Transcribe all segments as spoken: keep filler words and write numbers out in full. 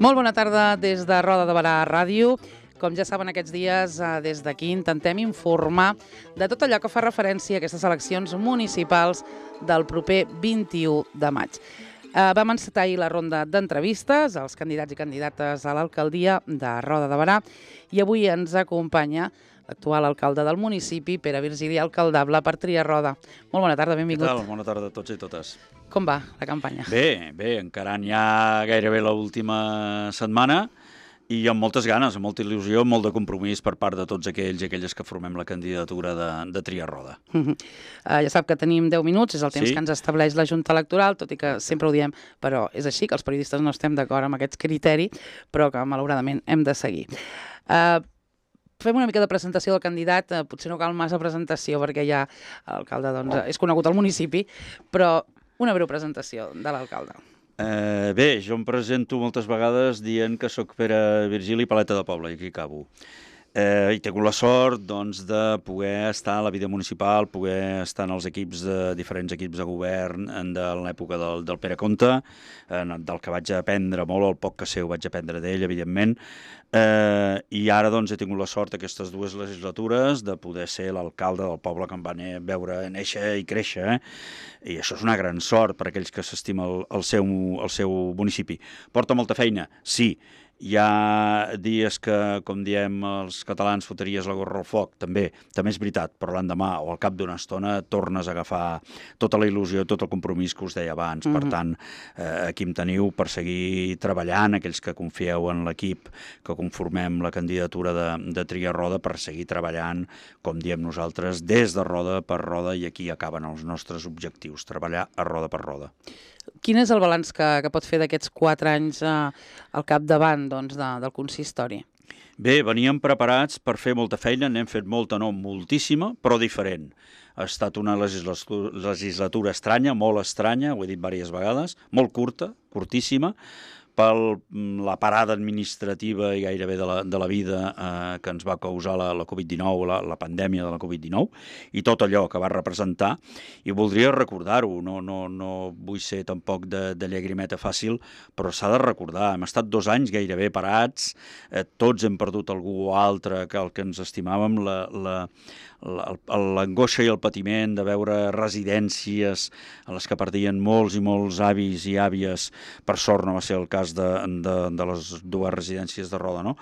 Molt bona tarda des de Roda de Barà Ràdio. Com ja saben, aquests dies des d'aquí intentem informar de tot allò que fa referència a aquestes eleccions municipals del proper vint-i-u de maig. Vam encetar ahir la ronda d'entrevistes als candidats i candidates a l'alcaldia de Roda de Barà i avui ens acompanya l'actual alcalde del municipi, Pere Virgili, alcaldable per triar Roda. Molt bona tarda, benvingut. Què tal? Bona tarda a tots i totes. Com va la campanya? Bé, bé, encarant ja gairebé l'última setmana i amb moltes ganes, amb molta il·lusió, amb molt de compromís per part de tots aquells i aquelles que formem la candidatura de, de triar Roda. Uh -huh. uh, ja sap que tenim deu minuts, és el temps sí? que ens estableix la Junta Electoral, tot i que sempre ho diem, però és així, que els periodistes no estem d'acord amb aquest criteri, però que malauradament hem de seguir. Uh, Fem una mica de presentació del candidat, eh, potser no cal massa presentació perquè ja l'alcalde doncs, és conegut al municipi, però una breu presentació de l'alcalde. Eh, bé, jo em presento moltes vegades dient que sóc Pere Virgili, paleta de poble, i aquí acabo. Eh, I tinc la sort doncs, de poder estar a la vida municipal, poder estar en els equips de diferents equips de govern de l'època del, del Pere Comte, eh, del que vaig aprendre molt, el poc que sé ho vaig aprendre d'ell, evidentment, eh, i ara doncs, he tingut la sort aquestes dues legislatures de poder ser l'alcalde del poble que em van veure néixer i créixer, eh? I això és una gran sort per a aquells que s'estima el, el, seu, el seu municipi. Porta molta feina? Sí. Hi ha dies que, com diem els catalans, foteries la gorra al foc, també, també és veritat, però l'endemà o al cap d'una estona tornes a agafar tota la il·lusió, tot el compromís que us deia abans. Mm-hmm. Per tant, eh, aquí em teniu per seguir treballant, aquells que confieu en l'equip, que conformem la candidatura de, de triar Roda, per seguir treballant, com diem nosaltres, des de Roda per Roda, i aquí acaben els nostres objectius, treballar a Roda per Roda. Quin és el balanç que, que pot fer d'aquests quatre anys eh, al capdavant doncs, de, del consistori? Bé, veníem preparats per fer molta feina, n'hem fet molta, no moltíssima, però diferent. Ha estat una legislatura, legislatura estranya, molt estranya, ho he dit diverses vegades, molt curta, curtíssima, per la parada administrativa i gairebé de la, de la vida eh, que ens va causar la, la Covid dinou, la, la pandèmia de la Covid dinou, i tot allò que va representar, i voldria recordar-ho, no, no, no vull ser tampoc de, de llagrimeta fàcil, però s'ha de recordar, hem estat dos anys gairebé parats, eh, tots hem perdut algú o altre que el que ens estimàvem, la, la, l'angoixa i el patiment de veure residències a les que perdien molts i molts avis i àvies. Per sort no va ser el cas de, de, de les dues residències de Roda, no?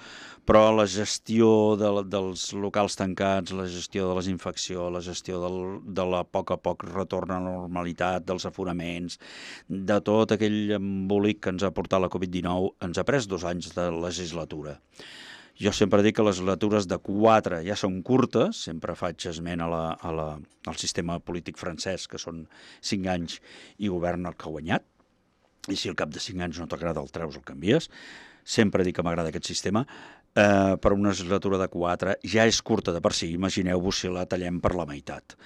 Però la gestió de, dels locals tancats, la gestió de les infeccions, la gestió del, de la poc a poc retorn a la normalitat, dels aforaments, de tot aquell embolic que ens ha portat la Covid dinou, ens ha pres dos anys de legislatura. Jo sempre dic que les legislatures de quatre ja són curtes, sempre faig esment a la, a la, al sistema polític francès, que són cinc anys i govern el que ha guanyat, i si al cap de cinc anys no t'agrada el treus, el canvies. Sempre dic que m'agrada aquest sistema, eh, però una legislatura de quatre ja és curta de per si, imagineu-vos si la tallem per la meitat.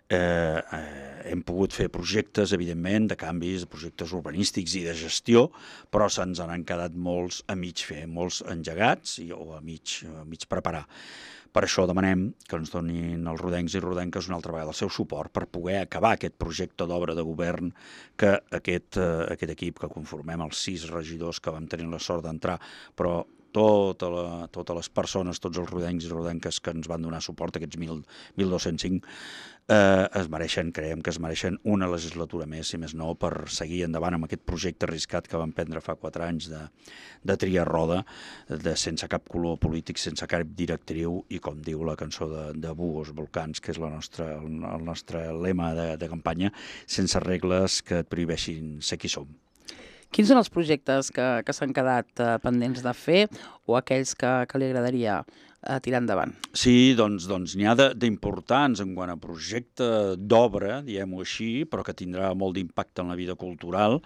Eh, eh, hem pogut fer projectes, evidentment, de canvis, de projectes urbanístics i de gestió, però se'ns han quedat molts a mig fer, molts engegats i, o a mig, a mig preparar. Per això demanem que ens donin els rodencs i rodenques una altra vegada el seu suport per poder acabar aquest projecte d'obra de govern que aquest, eh, aquest equip que conformem, els sis regidors que vam tenir la sort d'entrar, però tota la, totes les persones, tots els rodencs i rodenques que ens van donar suport, aquests mil dos-cents cinc, eh, es mereixen, creiem que es mereixen una legislatura més, si més no, per seguir endavant amb aquest projecte arriscat que vam prendre fa quatre anys de, de triar Roda, de, sense cap color polític, sense cap directriu, i com diu la cançó de, de Búhos Volcans, que és la nostra, el, el nostre lema de, de campanya, sense regles que et prohibeixin ser qui som. Quins són els projectes que, que s'han quedat eh, pendents de fer o aquells que, que li agradaria eh, tirar endavant? Sí, doncs doncs n'hi ha d'importants en quant a projecte d'obra, diguem-ho així, però que tindrà molt d'impacte en la vida cultural,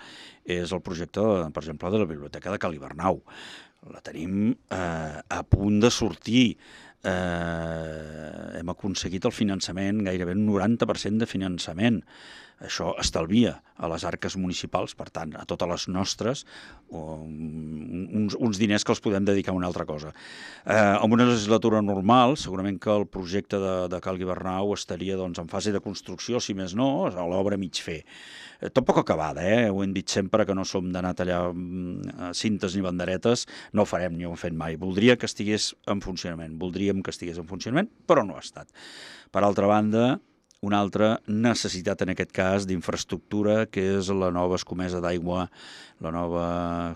és el projecte, per exemple, de la Biblioteca de Cal Hivernau. La tenim eh, a punt de sortir. Eh, hem aconseguit el finançament, gairebé un noranta per cent de finançament. Això estalvia a les arques municipals, per tant, a totes les nostres, uns, uns diners que els podem dedicar a una altra cosa. Eh, en una legislatura normal, segurament que el projecte de, de Cal Guibernau estaria doncs, en fase de construcció, si més no, a l'obra mig fer. Eh, tampoc acabada, eh? Ho hem dit sempre que no som d'anar a tallar mm, cintes ni banderetes, no ho farem ni ho hem fet mai. Voldria que estigués en funcionament, voldríem que estigués en funcionament, però no ha estat. Per altra banda, una altra necessitat en aquest cas d'infraestructura, que és la nova escomesa d'aigua, la nova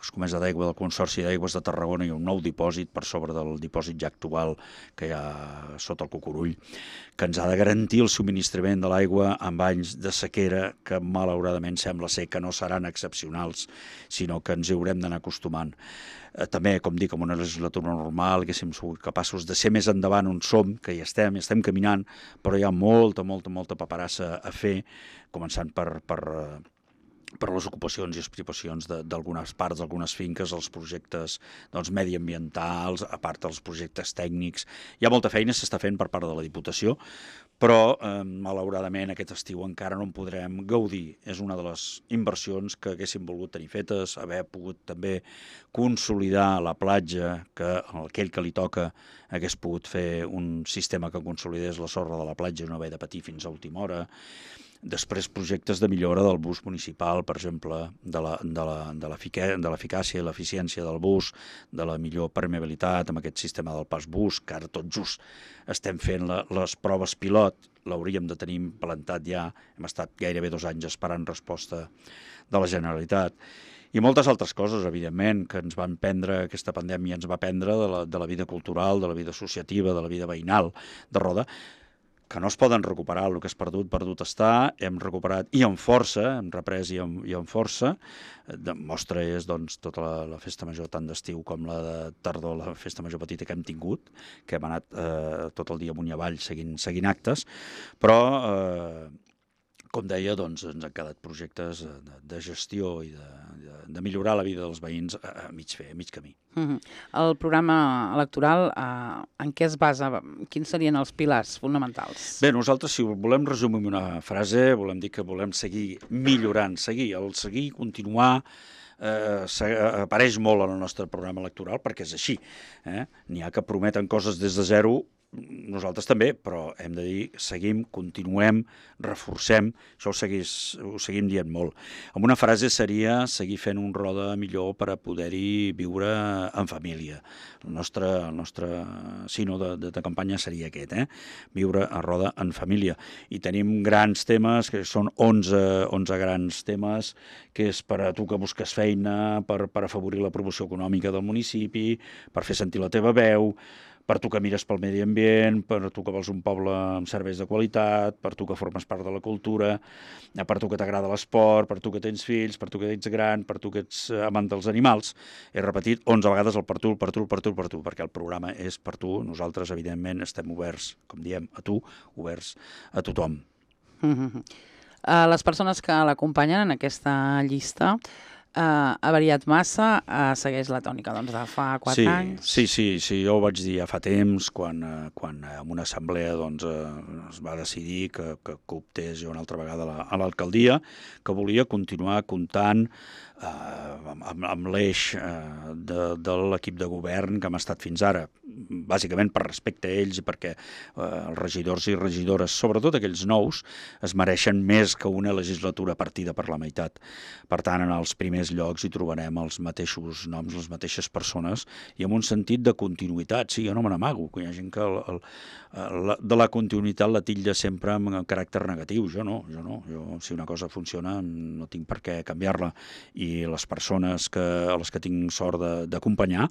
escomesa d'aigua del Consorci d'Aigües de Tarragona i un nou dipòsit per sobre del dipòsit ja actual que hi ha sota el Cucurull, que ens ha de garantir el subministrament de l'aigua en anys de sequera que malauradament sembla ser que no seran excepcionals, sinó que ens hi haurem d'anar acostumant. Eh, també, com dic, en una legislatura normal, haguéssim sigut capaços de ser més endavant on som, que hi estem, hi estem caminant, però hi ha molta, molta, molta paperassa a fer, començant per, per, per les ocupacions i expropiacions d'algunes parts, d'algunes finques, els projectes doncs, mediambientals, a part dels projectes tècnics. Hi ha molta feina, s'està fent per part de la Diputació, però eh, malauradament aquest estiu encara no en podrem gaudir. És una de les inversions que haguéssim volgut tenir fetes, haver pogut també consolidar la platja, que aquell que li toca hagués pogut fer un sistema que consolidés la sorra de la platja i no haver de patir fins a última hora. Després projectes de millora del bus municipal, per exemple, de l'eficàcia i l'eficiència del bus, de la millor permeabilitat amb aquest sistema del pas bus, que ara tot just estem fent la, les proves pilot, l'hauríem de tenir implantat ja, hem estat gairebé dos anys esperant resposta de la Generalitat. I moltes altres coses, evidentment, que ens van prendre, aquesta pandèmia ens va prendre de la, de la vida cultural, de la vida associativa, de la vida veïnal de Roda, que no es poden recuperar. El que és perdut, perdut està. Hem recuperat i amb força, hem reprès i amb, i amb força. De mostra és doncs, tota la, la festa major tant d'estiu com la de tardor, la festa major petita que hem tingut, que hem anat eh, tot el dia amunt i avall seguint, seguint actes, però eh, com deia, doncs, ens han quedat projectes de, de gestió i de, de, de millorar la vida dels veïns a, a mig fer, a mig camí. Uh-huh. El programa electoral, uh, en què es basa? Quins serien els pilars fonamentals? Bé, nosaltres, si ho volem resumir en una frase, volem dir que volem seguir millorant, seguir, el seguir, continuar, eh, apareix molt en el nostre programa electoral, perquè és així. Eh? N'hi ha que prometen coses des de zero, nosaltres també, però hem de dir, seguim, continuem, reforcem, això ho, seguís, ho seguim dient molt. Amb una frase seria seguir fent un Roda millor per a poder-hi viure en família. El nostre, el nostre sino de, de, de campanya seria aquest, eh? Viure a Roda en família. I tenim grans temes, que són onze, onze grans temes, que és per a tu que busques feina, per, per afavorir la promoció econòmica del municipi, per fer sentir la teva veu, per tu que mires pel medi ambient, per tu que vols un poble amb serveis de qualitat, per tu que formes part de la cultura, per tu que t'agrada l'esport, per tu que tens fills, per tu que ets gran, per tu que ets amant dels animals. He repetit onze vegades el per tu, per tu, per tu, per tu, perquè el programa és per tu. Nosaltres, evidentment, estem oberts, com diem, a tu, oberts a tothom. Mm-hmm. uh, les persones que l'acompanyen en aquesta llista, Uh, ha variat massa, uh, segueix la tònica doncs, de fa quatre sí, anys? Sí, sí, sí, jo ho vaig dir ja fa temps, quan, uh, quan en una assemblea doncs, uh, es va decidir que, que, que optés jo una altra vegada la, a l'alcaldia, que volia continuar comptant uh, amb, amb l'eix uh, de, de l'equip de govern que hem estat fins ara, bàsicament per respecte a ells i perquè uh, els regidors i regidores, sobretot aquells nous, es mereixen més que una legislatura partida per la meitat. Per tant, en els primers llocs hi trobarem els mateixos noms, les mateixes persones i amb un sentit de continuïtat. Sí, jo no me n'amago, que hi ha gent que el, el, el, de la continuïtat la titlla sempre amb caràcter negatiu. Jo no, jo no. Jo, si una cosa funciona no tinc per què canviar-la. I les persones que, a les que tinc sort d'acompanyar,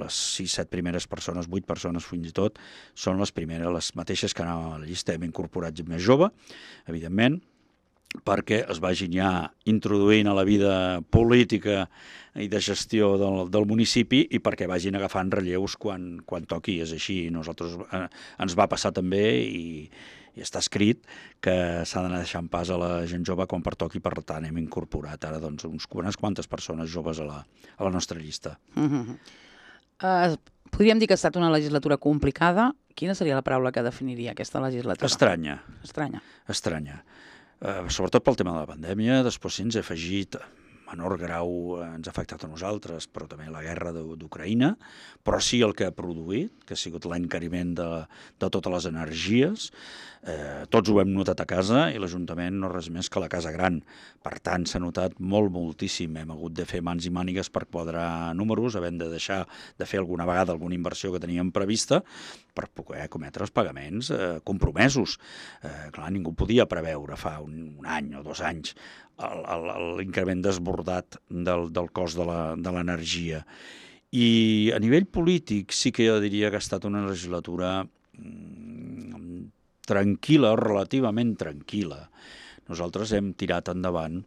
les sis, set primeres persones, vuit persones fins i tot, són les primeres, les mateixes que anaven a la llista. Hem incorporat gent més jove, evidentment, perquè es vagin ja introduint a la vida política i de gestió del, del municipi i perquè vagin agafant relleus quan, quan toqui. És així, nosaltres eh, ens va passar també i, i està escrit que s'ha d'anar deixant pas a la gent jove quan pertoqui, per tant hem incorporat ara doncs, uns, unes quantes persones joves a la, a la nostra llista. Mm-hmm. uh, podríem dir que ha estat una legislatura complicada. Quina seria la paraula que definiria aquesta legislatura? Estranya. Estranya. Estranya. eh, sobretot pel tema de la pandèmia, després sí ens ha afegit menor grau ens ha afectat a nosaltres, però també la guerra d'Ucraïna, però sí el que ha produït, que ha sigut l'encariment de, de totes les energies. Eh, tots ho hem notat a casa i l'Ajuntament no res més que la casa gran. Per tant, s'ha notat molt, moltíssim. Hem hagut de fer mans i mànigues per quadrar números, havent de deixar de fer alguna vegada alguna inversió que teníem prevista per poder cometre els pagaments eh, compromesos. Eh, clar, ningú podia preveure fa un, un any o dos anys l'increment desbordat del, del cost de l'energia. I a nivell polític sí que jo diria que ha estat una legislatura mm, tranquil·la, relativament tranquil·la. Nosaltres hem tirat endavant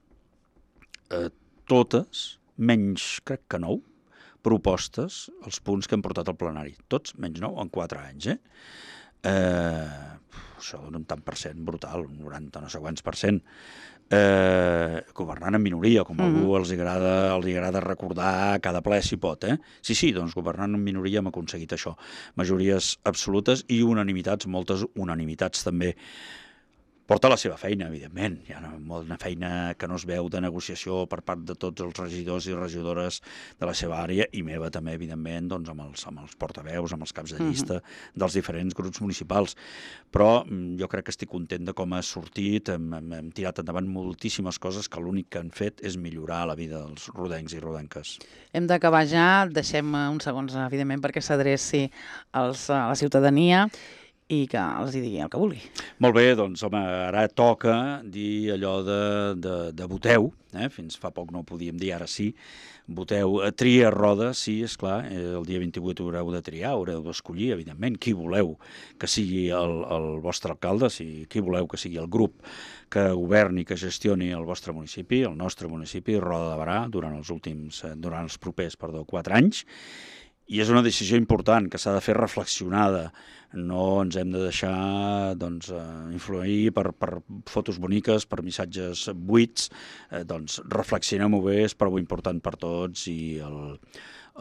eh, totes, menys crec que nou, propostes, els punts que hem portat al plenari. Tots, menys nou, en quatre anys. Eh? Eh, això dona un tant per cent brutal, un noranta no sé quants per cent. Eh, governant en minoria, com a algú mm-hmm. els agrada, els agrada recordar cada ple si pot. Eh? Sí, sí, doncs governant en minoria hem aconseguit això. Majories absolutes i unanimitats, moltes unanimitats també. Porta la seva feina, evidentment. Hi ha una feina que no es veu de negociació per part de tots els regidors i regidores de la seva àrea i meva també, evidentment, doncs, amb, els, amb els portaveus, amb els caps de llista uh-huh. dels diferents grups municipals. Però jo crec que estic content de com ha sortit, hem, hem, hem tirat endavant moltíssimes coses que l'únic que han fet és millorar la vida dels rodencs i rodenques. Hem d'acabar ja, deixem uns segons, evidentment, perquè s'adreci als, a la ciutadania i que els hi digui el que vulgui. Molt bé, doncs, home, ara toca dir allò de, de, de voteu, eh? Fins fa poc no ho podíem dir, ara sí, voteu, tria roda, sí, esclar, el dia vint-i-vuit haureu de triar, haureu d'escollir, evidentment, qui voleu que sigui el, el vostre alcalde, si, qui voleu que sigui el grup que governi, que gestioni el vostre municipi, el nostre municipi, Roda de Berà, durant els últims, durant els propers, perdó, quatre anys, i és una decisió important que s'ha de fer reflexionada. No ens hem de deixar doncs, influir per, per fotos boniques, per missatges buits. Eh, doncs reflexionem-ho bé, és prou important per tots i el,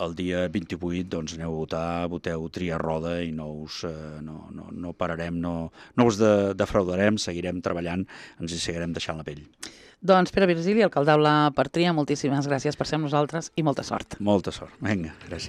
el dia vint-i-vuit doncs, aneu a votar, voteu tria roda i no us eh, no, no, no pararem, no, no us de, defraudarem, seguirem treballant, ens hi seguirem deixant la pell. Doncs Pere Virgili, alcalde per Tria, moltíssimes gràcies per ser amb nosaltres i molta sort. Molta sort. Vinga, gràcies.